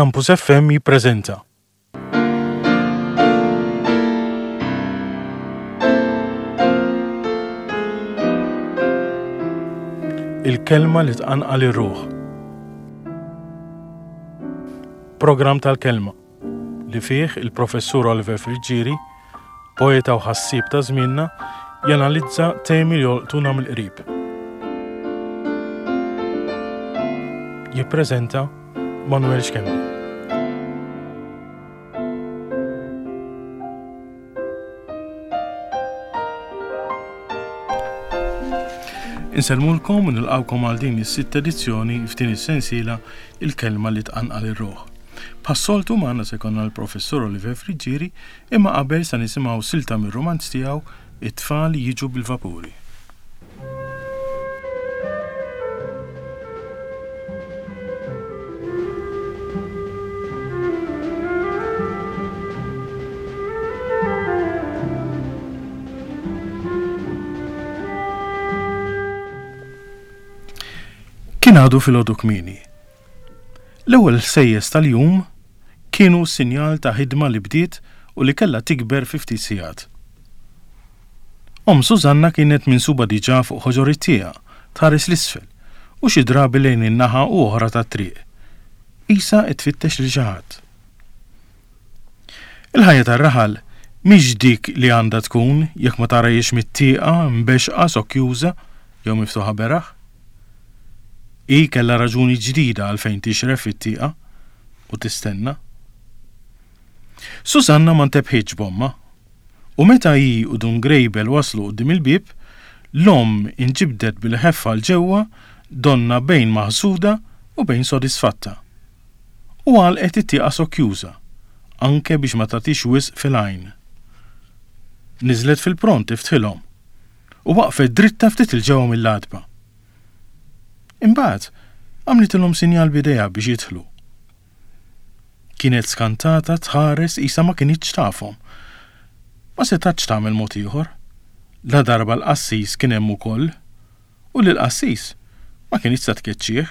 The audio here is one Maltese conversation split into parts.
Campus FM jippreżenta. Il-kelma li tqanqal ir-ruħ. Programm tal-kelma li fih il-Professur Oliver Friggieri, poeta u ħassieb ta' żmienna, janalizza temi li jolqtuna mill-qrib. Jippreżenta Manuel Schembri. Insellmulkom u nilqgħukom għal din is-sitt edizzjoni f'din is-sensiela Il-Kelma li Tqanqal ir-Ruħ. Bħas-soltu magħna se jkollna l-Professur Oliver Friggieri imma qabel se nisimgħu silta mir-rumanz tiegħu It-Tfal Jiġu bil-Vapuri. Kien għadu filgħodu kmieni. L-ewwel ħsejjes tal-jum kienu sinjal ta' ħidma li bdiet u li kellha tikber fi ftit sigħat. Omm Susanna kienet minsuba diġà fuq ħoġor it-tieqa, tħares 'l isfel, u xi drabi lejn in-naħa u oħra tat-triq. Qisha qed tfittex lil xi ħadd. Il-ħajja tar-raħal mhix dik li għandha tkun jekk ma tarahiex mit-tieqa mbexxqa sokkjuża jew miftuħa beraħ. Hi kellha raġuni ġdida għalfejn tixref fit-tieqa u tistenna. Susanna ma ntebħitx b'ommha. U meta hi u Dun Grejbel waslu quddiem il-bieb, l-omm inġibdet bil-ħeffa 'l ġewwa donnha bejn maħsuda u bejn sodisfatta. U għalqet it-tieqa sokkjuża, anke biex ma tagħtix wisq fil-għajn. Niżlet fil-pront tiftħilhom, u waqfet dritta ftit 'il ġewwa mill-għatba. Imbagħad għamlitilhom sinjal b'idejha biex jidħlu. Kienet skantata tħares qisha ma kinitx tafhom. Ma setgħetx tagħmel mod ieħor, ladarba l-qassis kien hemm ukoll, u lill-qassis ma kinitx se tkeċċih,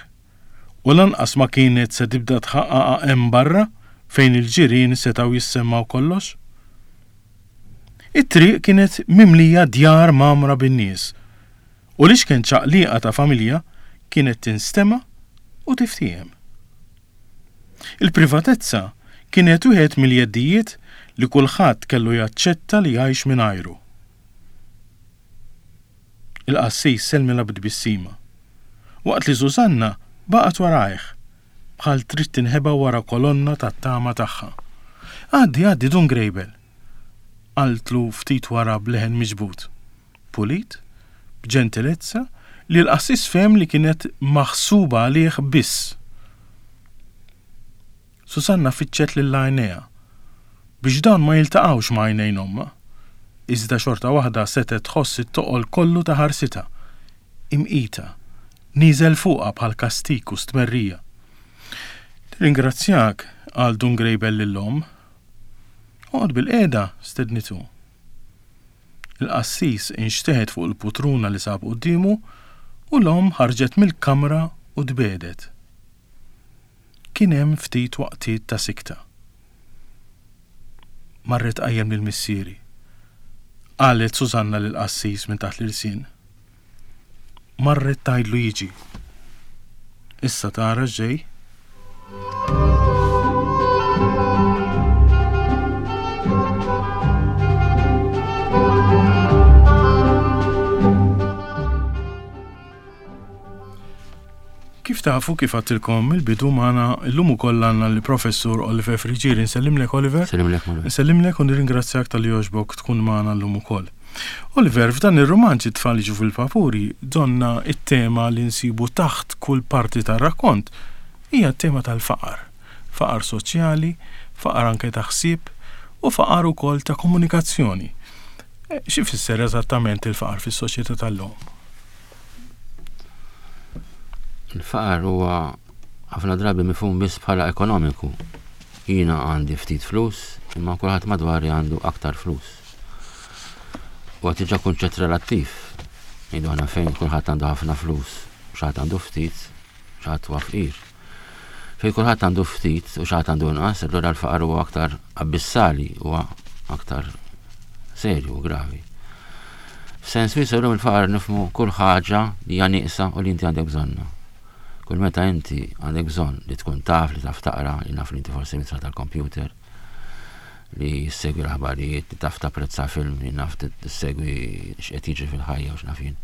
u lanqas ma kienet se tibda tħaqqaqha hemm barra fejn il-ġirien setgħu jissemmgħu kollox. It-triq kienet mimlija djar mgħammra bin-nies, u l-iċken ċaqliqa ta' familja kienet tinstema' u tiftiehem. Il-privatezza kienet wieħed mill-jeddijiet li kulħadd kellu jaċċetta li jgħix mingħajru. Il-qassis sellmilha bi tbissima, waqt li Susanna baqgħet warajh, bħal trid tinħeba wara kolonna tat-tama tagħha. Għaddi, għaddi, Dun Grejbel! qaltlu ftit wara b'leħen miġbud. Pulit, b'ġentilezza li l-qassis fehem li kienet maħsuba għalih biss. Susanna fittxet lil għajnejha biex dawn ma jiltaqgħux ma' għajnejn ommha, iżda xorta waħda setgħet tħoss it-toqol kollu ta' ħarsitha, imqita, nieżel fuqha bħal kastig u stmerrija. Nirringrazzjak, qal Dun Grejbel lill-omm. Oqgħod bilqiegħda, stednitu. Il-qassis inxteħet fuq il-putruna li sab quddiemu u l-omm ħarġet mill-kamra u tbiegħdet. Kien hemm ftit waqtiet ta' sikta. Marret tqajjem lil missieri, qalet Susanna lill-qassis minn taħt l-ilsien. Marret tgħidlu jiġi. Issa tara x'ġej. Kif tafu kif għattilkom il-bidu magħna illum ukoll għandna l-Professur Oliver Friggieri. Nsellimlek Oliver. Nsellimlek Manuel. Nsellimlek u nirringrazzjak talli jogħġbok tkun magħna llum ukoll. Oliver, f'dan ir-rumanz it-tfal jiġu fil-vapuri, donna it-tema li nsibu taħt kull parti tar-rakkont hija t-tema tal-faqar. Faqar soċjali, faqar anke ta' ħsieb u faqar ukoll ta' komunikazzjoni. X'ifisser eżattament il-faqar fis-soċjetà tal-lum? Il-faqar huwa ħafna drabi mifhum biss bħala ekonomiku. Jiena għandi ftit flus, imma kulħadd madwari għandu aktar flus. Huwa diġà kunċett relattiv. Ngħidu aħna fejn kulħadd għandu ħafna flus, xi ħadd għandu ftit, xi ħadd huwa fqir. Fejn kulħadd għandu ftit u xi ħadd għandu inqas, allura l-faqar huwa aktar abbissali, huwa aktar serju u gravi. F'sens wiesa' llum il-faqar nifhmu kull ħaġa li hija nieqsa u li inti għandek bżonnha. Kull meta inti għandek bżonn li tkun taf, li taf taqra, li naf li inti forsi mitra tal-kompjuter, li ssegwi l-aħbarijiet, li taf tapprezza film, li naf tissegwi x'qed jiġri fil-ħajja u x'naf jien.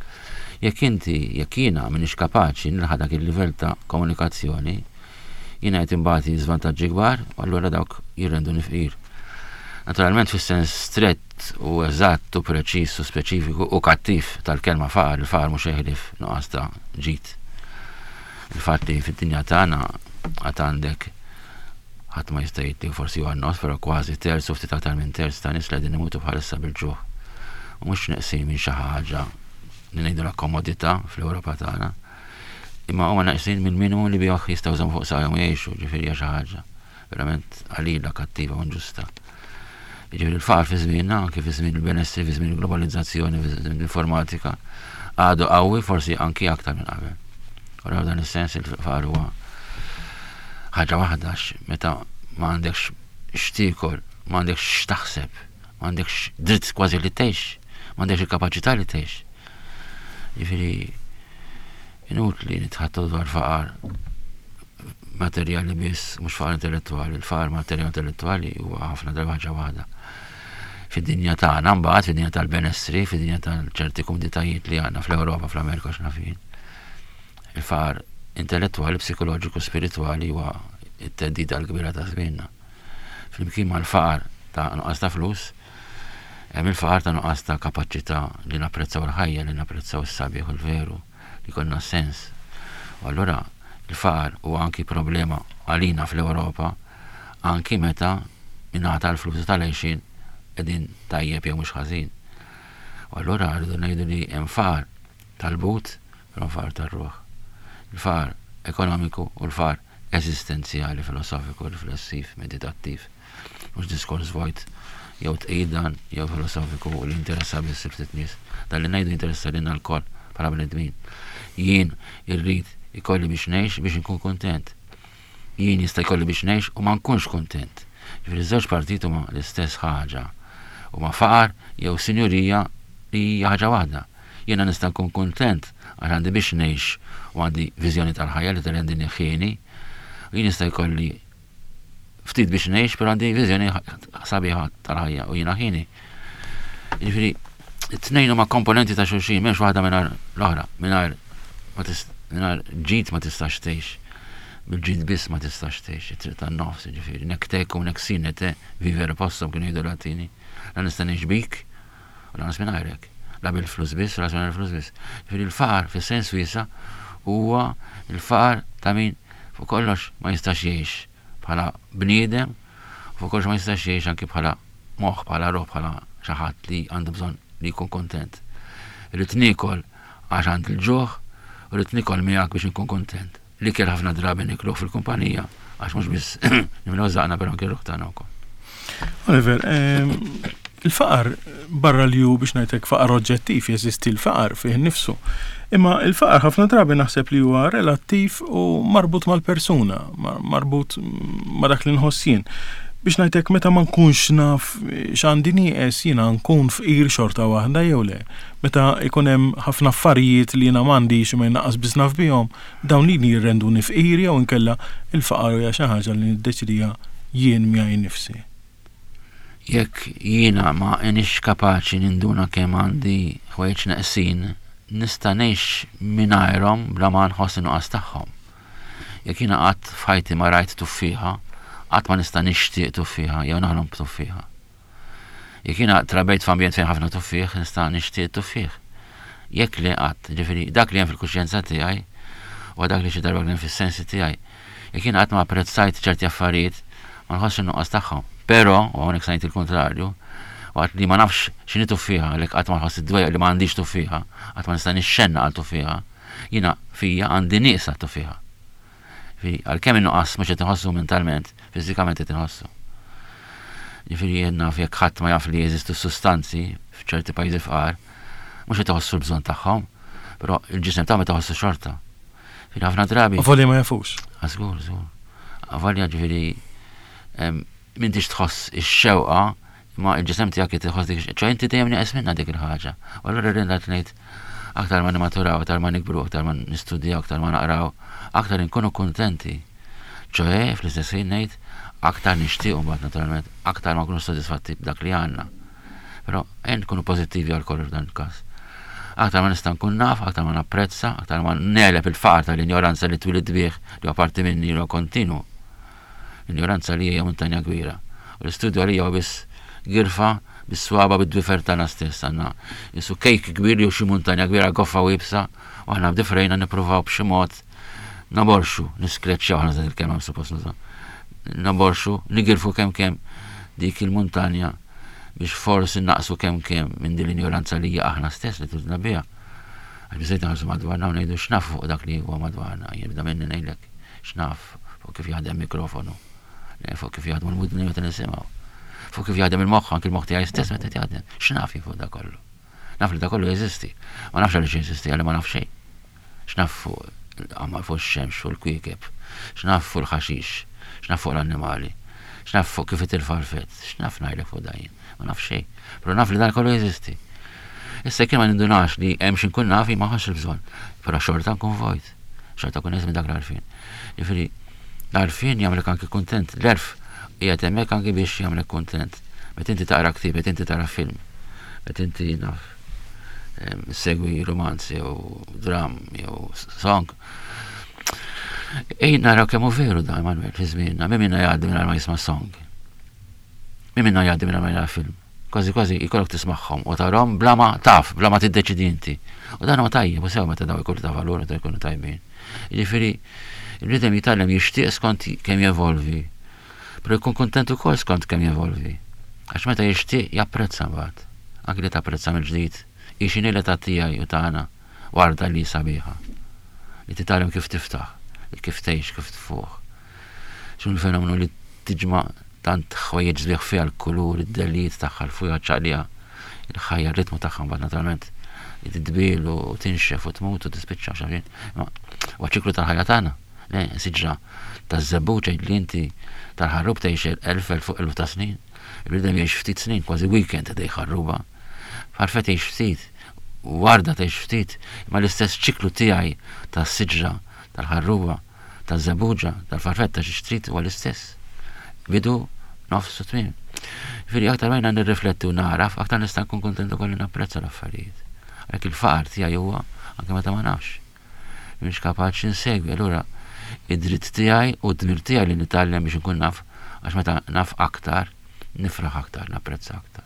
Jekk inti, jekk jiena m'iniex kapaċi nilħaq dak il-livell ta' komunikazzjoni, jiena qed inbati żvantaġġi kbar u allura dawk jirrenduni fqir. Naturalment fis-sens strett u eżatt u preċiż u speċifiku u kattiv tal-kelma faqar, il-faqar mhux ħlief nuqqas ta' ġid. Il-fatt li fid-dinja tagħna għad għandek Ħadd ma jista' jgħid li forsi huwa n-nofs, però kważi terz u ftit aktar minn terz ta' nies li qegħdin imutu bħalissa bil-ġuħ. U mhux neqsin minn xi ħaġa li ngħidulha komodità fl-Ewropa tagħna. Imma huma neqsin minn minimu li bih jistgħu jżommu fuq saqajhom u jgħixu, ġifieri hija xi ħaġa verament qalila, kattiva u inġusta. Jiġifieri l-faqar fi żmienna, anke fi żmien il-benessri, fi żmien il-globalizzazzjoni, fi żmien l-informatika, għadu qawwi forsi anki aktar minn qabel. U dan is-sens il-faqar huwa ħaġa waħda meta ma għandekx x'tiekol, ma għandekx x'taħseb, ma għandekx dritt kważi li tgħix, ma għandekx il-kapaċità li tgħix. Jiġifieri inutli nitħattu dwar faqar materjali biss, mhux faqar intellettwali, il-faqar materjali intellettwali huwa ħafna darba ħaġa waħda. Fid-dinja tagħna mbagħad, fid-dinja tal-benessri, fid-dinja tal-ċerti kumditajiet li għandna fl-Ewropa, fl-Amerika x'naf jien. Il-faqar intellettwali, psikoloġiku, spiritwali huwa t-theddida l-kbira ta' żmienna. Flimkien mal-faqar ta' nuqqas ta' flus, hemm il-faqar ta' nuqqas ta' kapaċità li napprezzaw il-ħajja, li napprezzaw is-sabiħ u l-veru, li jkollna sens. U allura il-faqar huwa anki problema għalina fl-Ewropa anki meta min-naħa tal-flus u tal-għixien qegħdin tajjeb jew mhux ħażin. U allura rridu ngħidu li hemm faqar tal-but Però l-faqar tar-ruħ. Il-faqar ekonomiku u l-faqar eżistenzjali, filosofiku, riflessiv, meditattiv. Mhux diskors vojt jew tqid dan jew filosofiku li jinteressa biss il ftit nies. Dan li ngħidu jinteressa lilna lkoll bħala bnedmin. Jien irrid ikolli biex ngħix biex inkun kuntent. Jien jista' jkolli biex ngħix u ma nkunx kuntent. Ġifieri ż-żewġ partijiet huma l-istess ħaġa. Huma faqar jew sinjurija li hija ħaġa waħda. Jiena nista' nkun kuntent għax għandi biex ngħix u għandi viżjoni tal-ħajja li tirrendini ħieni. U jien jista' jkolli ftit biex ngħix, però għandi viżjoni sabiħa tal-ħajja u jiena ħieni. Jiġifieri, it-tnejn huma komponenti ta' xulxin, m'hemmx waħda mingħajr l-oħra, mingħajr ma mingħajr ġid ma tistax tgħix. Bil-ġid biss ma tistax tgħix, it-triq tan-nofs, jiġifieri, nek tecum nek sine te vivere possum kienu jgħidu l-Latini. La nista' ngħix bik, U lanqas mingħajrek. La bil-flus biss, u lanqas mingħajr il-flus biss. Ġifieri l-faqar fis-sens wiesa' huwa l-faqar ta' min fuq kollox ma jistax jgħix bħala bniedem, u fuq kollox ma jistax jgħix anki bħala moħħ, bħala ruħ, bħala xi ħadd li għandu bżonn li jkun kuntent. Irrid niekol għax għandi l-ġuħ u rrid niekol miegħek biex inkun kuntent. L-ikel ħafna drabi nikluh fil-kumpanija għax mhux biss nimlew żaqna però anke r-ruħ tagħna wkoll. Oliver, ehm, il-faqar barra li hu biex ngħidlek faqar oġġettiv jeżisti l-faqar fih innifsu. Imma il-faqar ħafna drabi naħseb li huwa relattiv u marbut mal-persuna, marbut ma' dak li nħoss jien. Biex ngħidlek meta ma nkunx naf x'għandi nieqes jiena nkun fqir xorta waħda jew le. Meta jkun hemm ħafna affarijiet li jiena m'għandix imma jien lanqas biss naf bihom, dawn lili jirrenduni fqir jew inkella l-faqar hija xi ħaġa li niddeċidiha jien miegħi nnifsi? Jekk jiena ma iniex kapaċi ninduna kemm għandi ħwejjeġ neqsin, nista' ngħix mingħajrhom bla ma nħoss in-nuqqas tagħhom. Jekk jiena qatt f'ħajti ma rajt tuffieħa, qatt ma nista' nixtieq tuffieħa jew naħlom b'tuffieħa. Jekk jiena trabejt f'ambjent fejn ħafna tuffieħ, nista' nixtieq tuffieħ. Jekk le qatt, ġifieri dak li hemm fil-kuxjenza tiegħi u dak li xi darba kien fis-sensi tiegħi. Jekk jiena qatt ma apprezzajt ċerti affarijiet, ma nħossx in-nuqqas tagħhom. Però, u hawnhekk se ngħid il-kuntrarju, waqt li ma nafx x'inhi tuffieħa, għalhekk qatt ma nħoss id-dwejjaq li ma għandix tuffieħa, qatt ma nista' nixxennaq għal tuffieħa, jiena fija għandi nieqsa tuffieħa. Ġifieri, għalkemm in-nuqqas mhux qed inħossu mentalment, fiżikament qed inħossu. Ġifieri jien naf jekk ħadd ma jaf li jeżistu sustanzi f'ċerti pajjiżi fqar, mhux qed iħossu l-bżonn tagħhom, però il-ġisem tagħhom qed iħossu xorta. Ġifieri ħafna drabi. Avolja ma jafux. Ah, żgur, żgur. Avolja ġifieri m'intix tħoss ix-xewqa imma l-ġisem tiegħek qed iħoss dik ċoe inti dejjem nieqes minnha dik il-ħaġa. U allura rrid ngħid aktar ma nimmaturaw, aktar ma nikbru, aktar ma nistudjaw, aktar ma naqraw, aktar inkunu kuntenti. Ċoe fl-istess ħin ngħid aktar nixtiequ mbagħad naturalment, aktar ma nkunux sodisfatti b'dak li għandna. Però ejja nkunu pożittivi għal kollox f'dan il-każ. Aktar ma nista' nkun naf, aktar ma napprezza, aktar ma negħleb il-faqar tal-injoranza li twilidt bih li huwa parti minni li huwa kontinwu. L-injoranza li hija muntanja kbira. U l-istudju għalija huwa biss girfa bis-swaba bid-dwifer tagħna stess għandna isu kejk kbir jew xi muntanja kbira goffa u iebsa u aħna b'difrejna nippruvaw b'xi mod naborxu, niskreċċjaw aħna il-kelma suppost nuża. Naborxu, nigirfu kemm kemm dik il-muntanja biex forsi naqsu kemm kemm minn din l-injoranza li hija aħna stess li tużna biha. Għax biżejt nħarsu madwarna u ngħidu x'naf fuq dak li huwa madwarna. Jien nibda minni ngħidlek x'naf fuq kif jaħdem mikrofonu, fuq kif jaħdmu l-mudni meta nisimgħu, fuq kif jaħdem il-moħħ, anki l-moħħ tiegħi stess meta jaħdem. X'naf jien fuq dak kollu. Naf li dak kollu jeżisti. Ma nafx għaliex jeżisti, għalli ma naf xejn. X'naf fuq il-qamar, fuq ix-xemx, fuq il-kwiekeb, x'naf fuq il-ħaxix, x'naf fuq l-annimali, x'naf fuq kif itir farfett, x'naf ngħidlek fuq dan jien, ma naf xejn. Però naf li dan kollu jeżisti. Issa jekk ma nindunax li hemm xi nkun naf jien ma nħossx il-bżonn, però xorta nkun vojt, xorta nkun minn dak l-għarfien. Jiġifieri l-għarfien jagħmlek anki kuntent, l-għerf qiegħed hemmhekk anki biex jagħmlek kuntent. Meta inti taqra ktieb, meta inti tara film, meta inti naf segwi romanz jew dram jew song. Ejn naraw kemm hu veru dan Manuel fi żmienna, min minna jgħaddi mingħajr ma jisma' song. Min minna jgħaddi mingħajr ma jara film. Kważi kważi jkollok tismagħhom u tarhom bla ma taf, bla ma tiddeċidi inti. U dan huwa tajjeb u sew meta daw ikunu ta' valur meta jkunu tajbin. Jiġifieri il-bniedem jitgħallem jixtieq skont kemm jevolvi. Però jkun kuntent ukoll skont kemm jevolvi. Għax meta jixtieq japprezza mbagħad. Anki li tapprezza mill-ġdid hi x'inhi l-età tiegħi u tagħna, warda li hi sabiħa. Li titgħallem kif tiftaħ, li kif tgħix, kif tfuħ. X'inhu l-fenomenu li tiġma' tant ħwejjeġ sbieħ fiha l-kulur, id-dellijiet tagħha, l-fwieħa ċaqliha, il-ħajja, r-ritmu tagħha mbagħad naturalment li titbiel u tinxef u tmut u tispiċċa x'naf jien. Imma huwa ċiklu tal-ħajja tagħna. Le, siġra taż-żebbuġ għid li inti tal-ħarrub tgħix elf, elf u eluf ta' snin. Il-bniedem jgħix ftit snin, kważi weekend ħdej ħarruba. Farfett tgħix ftit, warda tgħix ftit, imma l-istess ċiklu tiegħi tas-siġra, tal-ħarruba, taż-żebbuġa, tal-farfett ta' xi trid huwa l-istess. Bidu, nofs u tmiem. Jiġifieri aktar ma jiena nirrifletti u nagħraf, aktar nista' nkun kuntent ukoll li napprezza l-affarijiet. Għalhekk il-faqar tiegħi huwa anke meta ma nafx. Mhix kapaċi nsegwi, allura id-dritt tiegħi u d-dmir tiegħi li nitgħallem biex inkun naf, għax meta naf aktar, nifraħ aktar, napprezza aktar.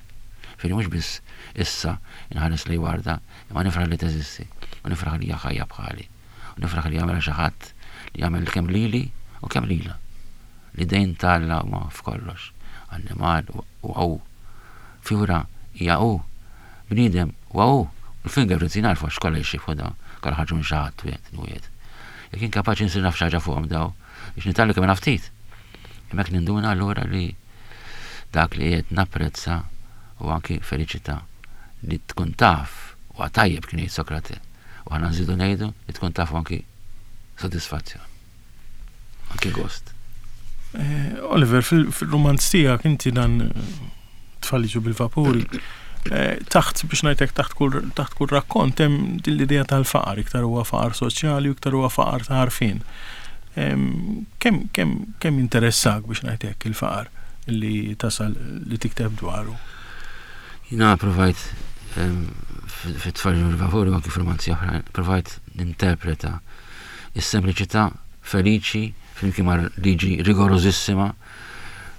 Ġifieri mhux biss issa nħares lejn warda, imma nifraħ li teżisti, u nifraħ li hija ħajja bħali, u nifraħ li jagħmilha xi ħadd li jagħmel kemm lili u kemm lilha. L-idejn ta' Alla huma f'kollox. Annimal huwa hu. Fjura hija hu. Bniedem huwa hu. U l-fingerprints jien għarfu għax kollha jixxiebħu dawn. Kollha ħarġu minn xi ħadd wieħed wieħed. Jekk jien kapaċi nsir naf xi ħaġa fuqhom daw, biex nitgħallem kemm naf ftit. Hemmhekk ninduna allura li dak li qiegħed napprezza huwa anki feliċità li tkun taf huwa tajjeb kien jgħid Sokrate. U aħna nżidu ngħidu li tkun taf anki sodisfazzjon. Anki gost. Eh, Oliver, fil-romanz tiegħek inti dan eh, tfal jiġu bil-vapuri. Eh, taħt biex ngħidlek taħt kull taħt kull rakkont hemm din l-idea tal-faqar, iktar huwa faqar soċjali u iktar huwa faqar ta' għarfien. Kemm kemm kemm interessak biex ngħidlek il-faqar li tasal li tikteb dwaru? Jina provajt fit-tfal jiġu bil-vapuri u anki f'romanzi oħra, provajt ninterpreta Is-sempliċità feliċi flimkien ma' liġi rigorożissima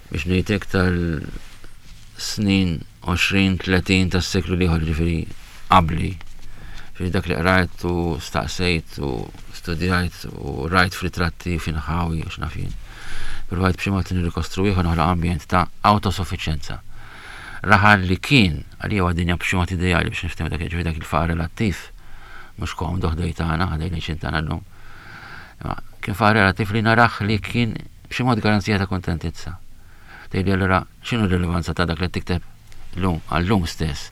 biex ngħid hekk tal-snin 20-30 tas-seklu l-ieħor ġifieri qabli. Ġifieri dak li qrajt u staqsejt u studjajt u rajt f'ritratti f'inħawi u x'naf jien. Provajt b'xi mod nirrikostruwih u noħloq ambjent ta' awtosuffiċjenza. Raħal li kien għalija huwa dinja b'xi mod ideali biex niftehmu dak ġifieri dak il-faqar relattiv mhux komdu ħdej tagħna, ħdej l-għixien tagħna llum. Imma kien faqar relattiv li narah li kien b'xi mod garanzija ta' kuntentizza. Tgħidli allura x'inhu r-rilevanza ta' dak li tikteb llum għal-lum stess?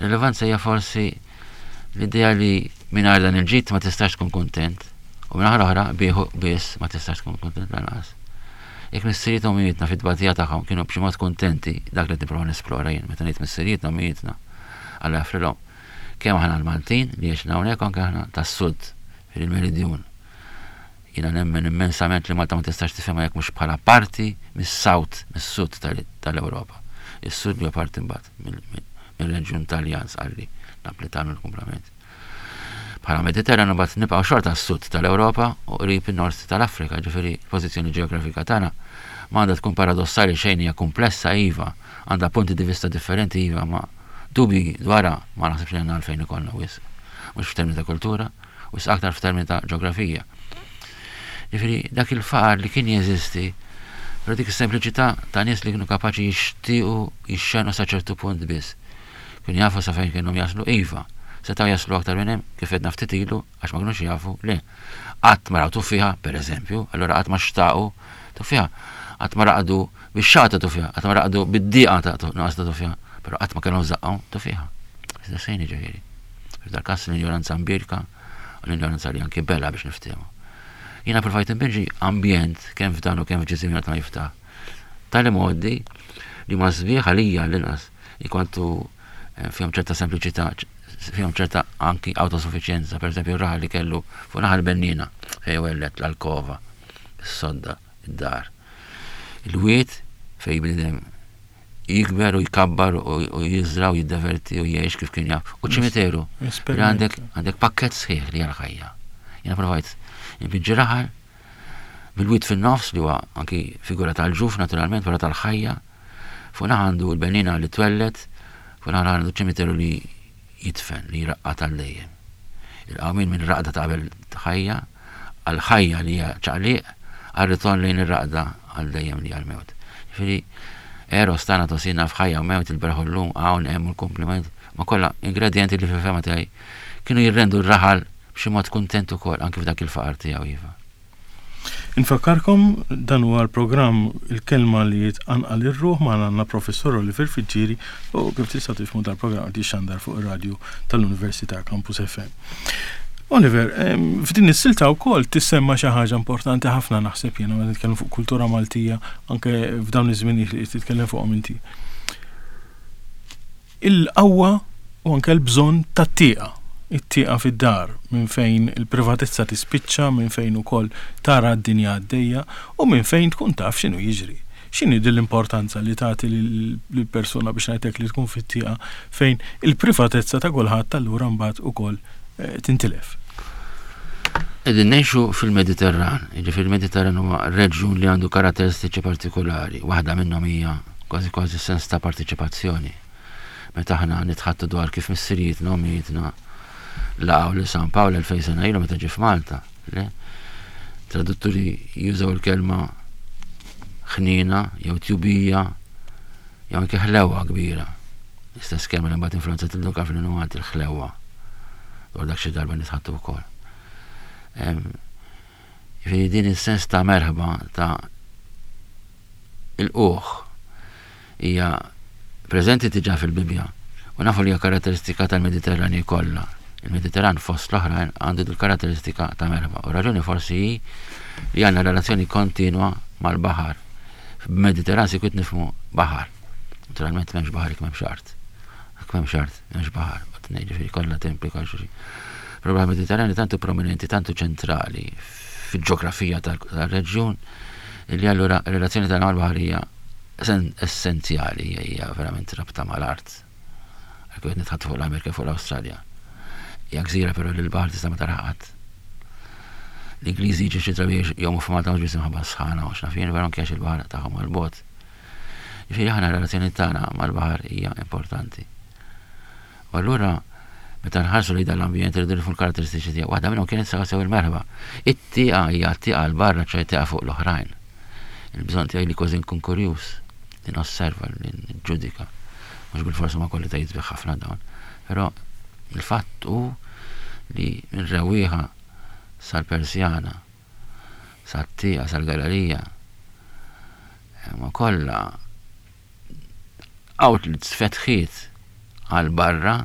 Rilevanza hija forsi l-idea li mingħajr dan il-ġid ma tistax tkun kuntent u minn oħra bieħu biss ma tistax tkun kuntent lanqas. Jekk missirijietna u ommijietna fit-tbatija tagħhom kienu b'xi mod kuntenti, dak li qed nipprova nesplora jien meta ngħid missirijietna u ommijietna, Alla jaħfrilhom, kemm aħna l-Maltin li għexna hawnhekk u anke aħna tas-Sud, il-Meridjun. Jiena nemmen immensament li Malta ma tistax tifhimha jekk mhux bħala parti mis-South, mis-Sud tal-Ewropa. Is-Sud li huwa parti mbagħad mir-reġjun Taljan, Sqalli, Naplitan u l-kumplament. Bħala Mediterran imbagħad nibqgħu xorta s-sud tal-Ewropa u qrib in-nord tal-Afrika, ġifieri l-pożizzjoni ġeografika tagħna ma għandha tkun paradossali xejn hija kumplessa iva, għandha punti di vista differenti iva, ma dubji dwarha ma naħsibx li għandna għalfejn ikollna wisq. Mhux f'termini ta' kultura, wisq aktar f'termini ta' ġeografija. Ġifieri dak il-faqar li kien jeżisti, però dik is-sempliċità ta' nies li kienu kapaċi jixtiequ jixxenu sa ċertu punt biss. Kienu jafu sa fejn kellhom jaslu? Iva. Setgħu jaslu aktar minn hemm, kif għedna ftit ilu, għax ma kinux jafu? Le. Qatt ma raw tuffieħa, per eżempju, allura qatt ma xtaqu tuffieħa. Qatt ma raqdu bix-xagħar ta' tuffieħa, qatt ma raqdu bid-dieqa ta' nuqqas ta' tuffieħa, però qatt ma kellhom f'żaqqhom tuffieħa. Iżda xejn jiġifieri. F'dal każ l-injoranza mbierka u l-injoranza li anki bela biex niftehmu. Jiena provajt inpinġi ambjent kemm f'dan u kemm f'ġisimni qatt ma jiftaħ. Tali modi li ma sbieħ għalija l-inqas inkwantu eh, fihom ċerta sempliċità, fihom ċerta anki autosuffiċjenza, per eżempju raħal li kellu fuq naħal bennina fejn wellet l-alkova, is-sodda, id-dar. Il-wied fejn bniedem jikber u jkabbar u jiżra u jiddeverti u jgħix kif kien jaf. U ċimiteru. Għandek għandek pakket sħiħ li għal-ħajja. Jena provajt nbiġġi raħal bil-wied fin-nofs li huwa anki figura tal-ġuf naturalment, wara tal-ħajja. Fuq naħa għandu l-benniena li twelled, fuq naħa għandu ċimiteru li jidfen, li jraqqad għal dejjem. Il-qawmien minn raqda ta' qabel ħajja għal ħajja li hija ċaqliq għal ritorn lejn ir-raqda għal dejjem li hija l-mewt. Ġifieri Eros tagħna tosina f'ħajja u mewt il-berħ u llum hawn hemm u l-kumpliment ma kollha ingredjenti li fil-fehma tiegħi kienu jirrendu r-raħal b'xi mod kuntent ukoll anki f'dak il-faqar tiegħu iva. Infakkarkom dan huwa l-programm Il-Kelma li Tqanqal ir-Ruħ magħna għandna Professur Oliver Friggieri u kif tistgħu tifhmu dal-programm qed jixxandar fuq ir-radju tal-Università Campus FM. Oliver, f'din is-silta wkoll tissemma xi ħaġa importanti ħafna naħseb jiena meta nitkellmu fuq kultura Maltija anke f'dawn iż-żminijiet li qed titkellem fuqhom inti. Il-qawwa u anke l-bżonn tat-tieqa, it-tieqa fid-dar, minn fejn il-privatezza tispiċċa, minn fejn ukoll tara d-dinja għaddejja u minn fejn tkun taf x'inhu jiġri. X'inhi din l-importanza li tagħti lill-persuna biex ngħid hekk li tkun fit-tieqa fejn il-privatezza ta' kulħadd allura mbagħad ukoll tintilef? Qegħdin ngħixu fil-Mediterran, jiġifieri il-Mediterran huwa reġjun li għandu karatteristiċi partikulari, waħda minnhom hija kważi kważi sens ta' partiċipazzjoni. Meta aħna nitħattu dwar kif missirijietna u ommijietna laqgħu lil San Pawl 2000 sena ilu meta ġie f'Malta, le? Tradutturi jużaw il-kelma ħniena jew tjubija jew anke ħlewa kbira. L-istess kelma li mbagħad influenzat il-Dun Kalfin Malti il-ħlewa. Dwar dak xi darba nitħattu wkoll. Jiġifieri din is-sens ta' merħba ta' il-quħ hija preżenti diġà fil-Bibbja u nafu li hija karatteristika tal-Mediterranji kollha. Il-Mediterran fost l-oħrajn għandu dil karatteristika ta' merħba u raġuni forsi hi li għandna relazzjoni kontinwa mal-baħar. B'Mediterran sikwit nifhmu baħar. Naturalment m'hemmx baħar jekk m'hemmx art. Jekk m'hemmx art, m'hemmx baħar. Ġifieri kollha timplika xulxin. Però l-baħar Mediterranju tantu prominenti, tantu ċentrali fil-ġeografija tal-reġjun li allura r-relazzjoni tagħna mal-baħar hija essenzjali, hija verament rabta mal-art. Għalkemm qed nitħaddtu fuq l-Amerika fuq l-Awstralja. Hija gżira però li l-baħar tista' ma taraha qatt. L-Ingliżi jiġu xi drabi jgħumu f'Malta mhux biss imħabba s-sħana u x'naf jien, però anke għax il-baħar tagħhom għal bogħod. Ġifieri aħna r-relazzjoni tagħna mal-baħar hija importanti. U allura meta nħarsu lejn dan l-ambjent irridu nifhmu l-karatteristiċi tiegħu. Waħda minnhom kienet sew sew il-merħba. It-tieqa hija tieqa 'l barra, ċoe tieqa fuq l-oħrajn. Il-bżonn tiegħi li kważi nkun kurjuż, li nosserva, li niġġudika. Mhux bilfors huma kwalitajiet sbieħ ħafna dawn. Però il-fatt hu li minn rewwieħa sal-persjana, sat-tieqa, sal-gallerija, huma kollha outlets, fetħiet għal barra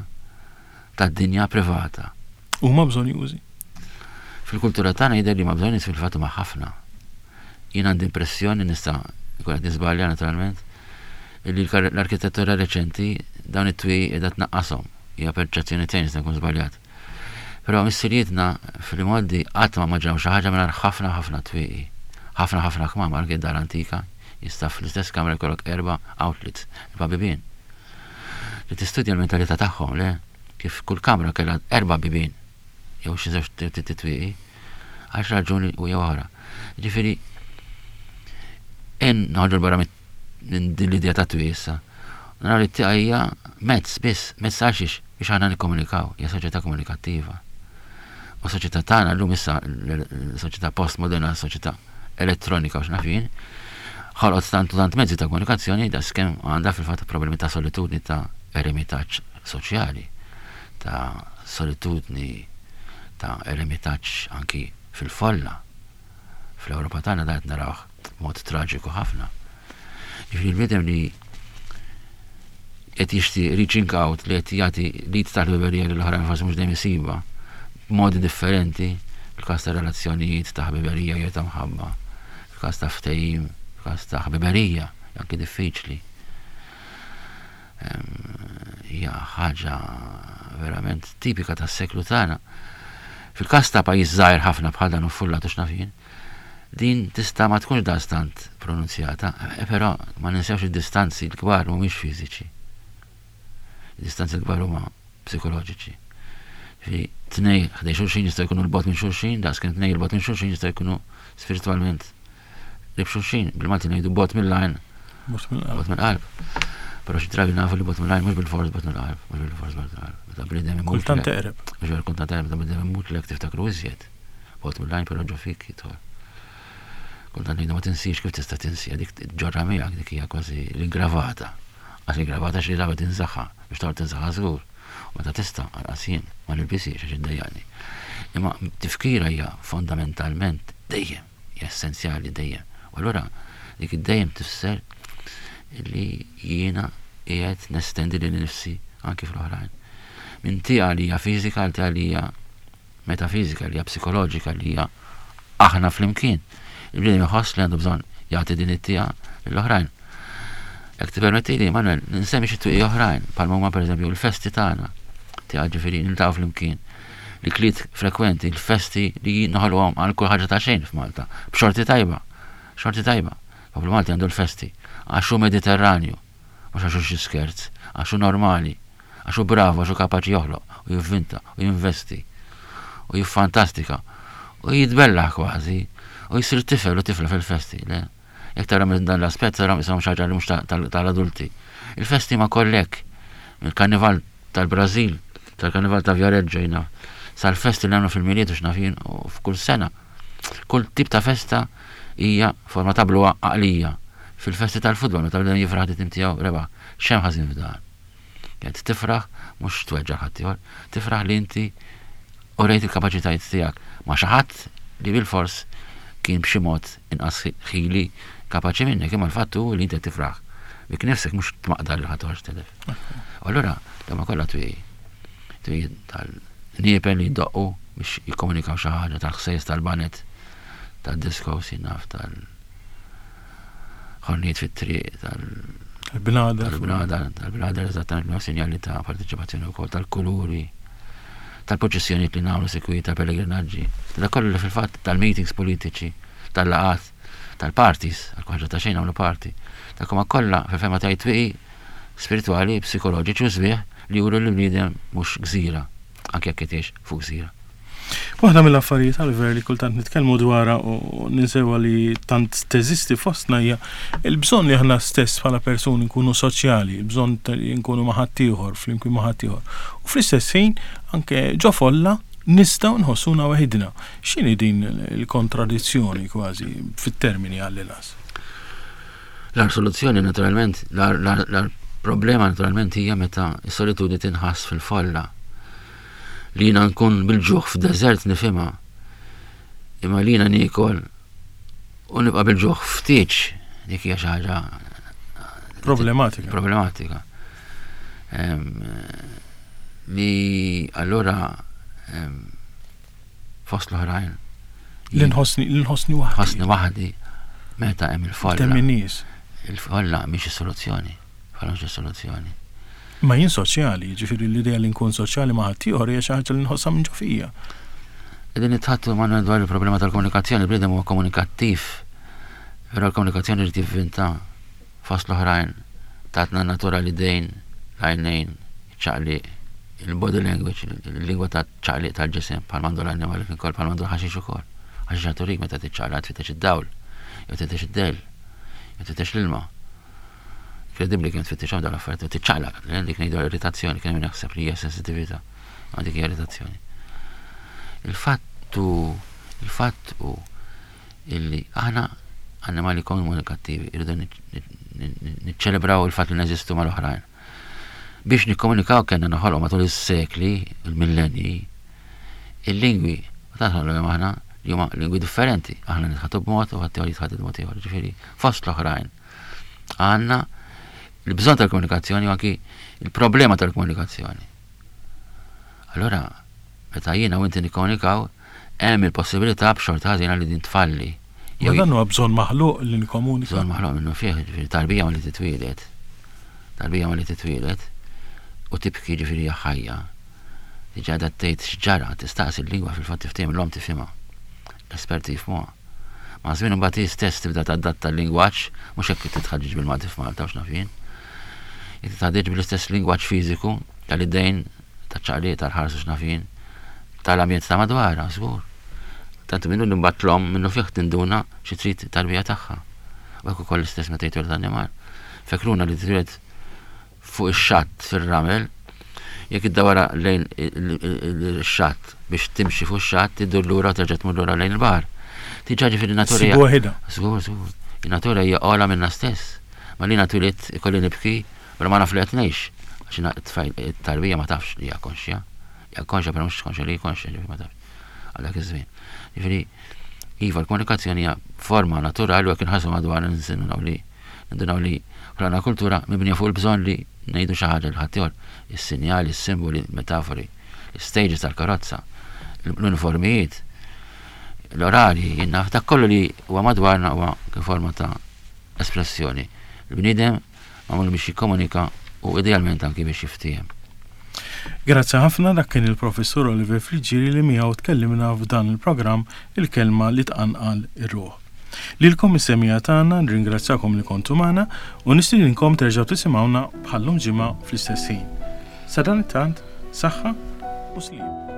tad-dinja privata. Huma bżonjużi. Fil-kultura tagħna jidher li huma bżonjużi fil-fatt huma ħafna. Jien għandi impressjoni nista' nkun qed niżbalja naturalment, illi l-arkitettura reċenti dawn it-twieqi qiegħda tnaqqashom. Hija perċezzjoni tiegħi nista' nkun żbaljat. Però missirietna fl-imgħoddi qatt ma immaġinaw xi ħaġa mingħajr ħafna ħafna twieqi. Ħafna ħafna kmamar anke d-dar antika jista' fl-istess kamra jkollok erba' outlets, erba' bibien. Li tistudja l-mentalità tagħhom, le? Kif kull kamra kellha erba' bibien jew xi żewġ twieqi għal xi raġuni u jew oħra. Ġifieri en noħorġu barra minn din l-idea ta' twieqi issa. Naraw li t-tieqa hija mezz biss, mezz għal xiex biex aħna nikkomunikaw, hija soċjetà komunikattiva. U soċjetà tagħna llum issa soċjetà postmoderna, soċjetà elettronika u x'naf jien, ħolqot tant u tant mezzi ta' komunikazzjoni da skemm għandha fil-fatt problemi ta' solitudni ta' eremitaġġ soċjali, ta' solitudni ta' eremitaġġ anki fil-folla. Fl-Ewropa tagħna dan qed narawh b'mod traġiku ħafna. Jiġifieri l-bniedem li qed jixtieq reaching out li qed jagħti l-id tal-ħbiberija lil oħrajn forsi mhux dejjem isibha b'modi differenti fil-każ ta' relazzjonijiet ta' ħbiberija jew ta' mħabba, fil-każ ta' ftehim, fil-każ ta' ħbiberija, anki diffiċli. Hija ħaġa verament tipika tas-seklu tagħna. Fil-każ ta' pajjiż żgħir ħafna bħal dan u fullat u x'naf jien, din tista' ma tkunx daqstant pronunzjata, eh, però ma ninsewx id-distanzi l-kbar mhumiex fiżiċi. Id-distanzi l-kbar huma psikoloġiċi. Fi tnej ħdej xulxin jistgħu jkunu l-bot minn xulxin, daqs kemm tnej il-bot minn xulxin jistgħu jkunu spiritualment Qrib xulxin, bil-Malti ngħidu bot mill-għajn. Bot mill-qalb. Bot mill-qalb. Però xi drabi nafu li bot mill-għajn mhux bil-fors bot mill-qalb, mhux bil-fors bot mill-qalb. Meta bniedem imut. Kultant teqreb. Mhux veru kultant teqreb, meta bniedem imut lek tiftakru iżjed. Bot mill-għajn però ġo fik jidħol. Kultant ngħidu ma tinsiex kif tista' tinsi, dik ġorra miegħek dik hija kważi l-ingravata. Għax l-ingravata xi drabi tinsaħħa, biex toqgħod tinsaħħa żgur. Meta tista' anqas jien ma nilbisiex għax iddejjaqni. Imma tifkira hija fondamentalment dejjem hija essenzjali dejjem. U allura dik id-dejjem tifisser li jiena qiegħed nestendi lili nnifsi anki fl-oħrajn. Minn tieqa li hija fiżika għal tieqa li hija metafiżika, li hija psikoloġika, li hija aħna flimkien. Il-bniedem iħoss li għandu bżonn jagħti din it-tieqa lill-oħrajn. Jekk tippermettili, Manuel, nsemmi xi twieqi oħrajn, bħalma huma pereżempju l-festi tagħna. Tieqa ġifieri niltaqgħu flimkien. L-ikliet frekwenti, l-festi li noħolquhom għal kull ħaġa ta' xejn f'Malta. B'xorti tajba. Xorti tajba. Poplu Malti għandu l-festi. Għax hu Mediterranju. Mhux għax hu xi skerz. Għax hu normali. Għax hu bravu, għax hu kapaċi joħloq u jivvinta u jinvesti u jiffantastika u jitbellaħ kważi u jsir tifel u tifla fil-festi. Le? Jekk tara minn dan l-aspett tara qishom xi ħaġa li mhux tal-adulti. Il-festi ma kollek. Mill-karnival tal-Brażil, tal-karnival ta' Viareggio jiena, sal-festi li nagħmlu fil-Milied u x'naf jien u f'kull sena. Kull tip ta' festa hija forma ta' bluha għaqlija. Fil-festi tal-futbol meta bniedem jifraħ li tim tiegħu rebaħ, x'hemm ħażin f'dan? Qed tifraħ mhux tweġġa' ħaddieħor, tifraħ li inti urejt il-kapaċitajiet tiegħek ma' xi ħadd li bilfors kien b'xi mod inqas ħili kapaċi minnek, imma l-fatt hu li inti qed tifraħ bik nifsek mhux tmaqdar lil ħadd għax telef. U allura dawn kollha twieqi. Twieqi tal-niepen li jdoqqu biex jikkomunikaw xi ħaġa, tal-ħsejjes tal-banet, tad-disco, naf tal ħornijiet fit-triq tal Tal-bnadar. Tal-bnadar, tal-bnadar eżattament ma' sinjali ta' parteċipazzjoni wkoll tal-kuluri, tal-proċessjonijiet li nagħmlu sikwit, tal-pellegrinaġġi, ta' kollu li fil-fatt tal-meetings politiċi, tal-laqgħat, tal-parties, għal ħaġa ta' xejn nagħmlu party. Dak huma kollha fil-fehma tiegħi twieqi spiritwali, psikoloġiċi u sbieħ li juru li l-bniedem mhux gżira, anke jekk qed jgħix fuq gżira. Waħda mill-affarijiet Oliver li kultant nitkellmu dwarha u ninsewha li tant teżisti fostna hija l-bżonn li aħna stess bħala persuni nkunu soċjali, il-bżonn li nkunu ma' ħaddieħor, flimkien ma' ħaddieħor. U fl-istess ħin anke ġo folla nistgħu nħossuna waħidna. X'inhi din il-kontradizzjoni kważi fit-termini għall-inqas? L-agħar soluzzjoni naturalment, l-agħar problema naturalment hija meta s-solitudni tinħass fil-folla. Li jiena nkun bil-ġuħ f'deżert nifhimha. Imma li jiena niekol u nibqa' bil-ġuħ ftit dik hija xi ħaġa problematika. Problematika. Li allura fost l-oħrajn. Li nħossni li nħossni waħdi. Nħossni waħdi. Meta hemm il-folla. Temm in-nies. Il-folla mhix is-soluzzjoni. Folla mhix is-soluzzjoni. Ma jien soċjali, jiġifieri l-idea li nkun soċjali ma' ħaddieħor hija xi ħaġa li nħossha minn ġo fija. Qegħdin nitħaddtu Manuel dwar il-problema tal-komunikazzjoni, il-bniedem huwa komunikattiv. Però l-komunikazzjoni jrid jivvinta fost l-oħrajn tatna n-natura l-idejn, l-għajnejn, iċ-ċaqliq, il-body language, il-lingwa ta' ċaqliq tal-ġisem, bħal mandu l-annimali kien kol, bħal mandu l-ħaxix ukoll. Ħaxix turik meta tiċċaqlaq tfittex id-dawl, jew tfittex id-dell, jew tfittex l-ilma. Inkredibbli kemm tfittixhom dawn l-affarijiet u tiċċaqlaq, dik ngħidu irritazzjoni, kien hemm jaħseb li hija sensitività, ma dik hija irritazzjoni. Il-fattu, il-fatt hu illi aħna annimali komunikattivi, irridu niċċelebraw il-fatt li neżistu mal-oħrajn. Biex nikkomunikaw kellna noħolqu matul is-sekli, il-millenji, il-lingwi, u tant ħolqu aħna li huma lingwi differenti, aħna nitħatu b'mod u ħadd jitħatu b'mod ieħor, ġifieri fost l-oħrajn. Għandna il-bżonn tal-komunikazzjoni u anki il-problema tal-komunikazzjoni. Allora, meta jiena u inti nikkomunikaw, hemm il-possibilità b'xorta ħażina li din tfalli. Ma dan huwa bżonn maħluq li nikkomunika. Bżonn maħluq minnu fih, ġifieri tarbija ma li titwieled. Tarbija ma li titwieled u tibki ġifieri hija ħajja. Diġà qiegħda tgħid x'ġara, tistaqsi l-lingwa fil-fatt tiftehim l-omm tifhimha. L-esperti jifhmuha. Maż-żmien imbagħad hi stess tibda tadatta l-lingwaġġ, mhux hekk titħaġġeġ bil-Malti f'Malta u x'naf jien. Hi titħaġġeġ bl-istess lingwaġġ fiżiku tal-idejn, taċ-ċaqliq, tal-ħars u x'naf jien, tal-ambjent ta' madwarha, żgur. Tant minnu li mbagħad l-omm minnu fih tinduna xi trid tarbija tagħha. U hekk ukoll l-istess meta jitwieled annimal. Fekruna li titwieled fuq ix-xatt fir-ramel, jekk iddawwarha lejn ix-xatt biex timxi fuq ix-xatt, iddur lura u terġa' tmur lura lejn il-baħar. Diġà ġifieri natura hija. waħedha. Żgur, żgur. In-natura hija ogħla minna stess. Ma li twilidt ikolli nibki bla ma naf li qed ngħix. Għax it-tarbija ma tafx li hija konxja. Hija konxja però mhux konxja li hi konxja, ġifieri ma tafx. Għal dak iż-żmien. Ġifieri, iva l-komunikazzjoni hija forma naturali u jekk inħarsu madwar nindunaw li Nindunaw li ħloqna kultura mibnija fuq il-bżonn li ngħidu xi ħaġa lil ħaddieħor, is-sinjali, is-simboli, il-metafori, l-istages tal-karozza, l-uniformijiet, l-orarji, jien naf, dak kollu li huwa madwarna huwa forma ta' espressjoni. Il-bniedem magħmul biex jikkomunika u idealment anki biex jiftiehem. Grazzi ħafna dak kien il-Professur Oliver Friggieri li miegħu tkellimna f'dan il-programm Il-Kelma li Tqanqal ir-Ruħ. Lilkom is-semmiegħa tagħna nirringrazzjakom li kontu magħna u nistidinkom terġgħu tisimgħuna bħal-lum ġimgħa fl-istess ħin. Sadanittant, saħħa u sliem.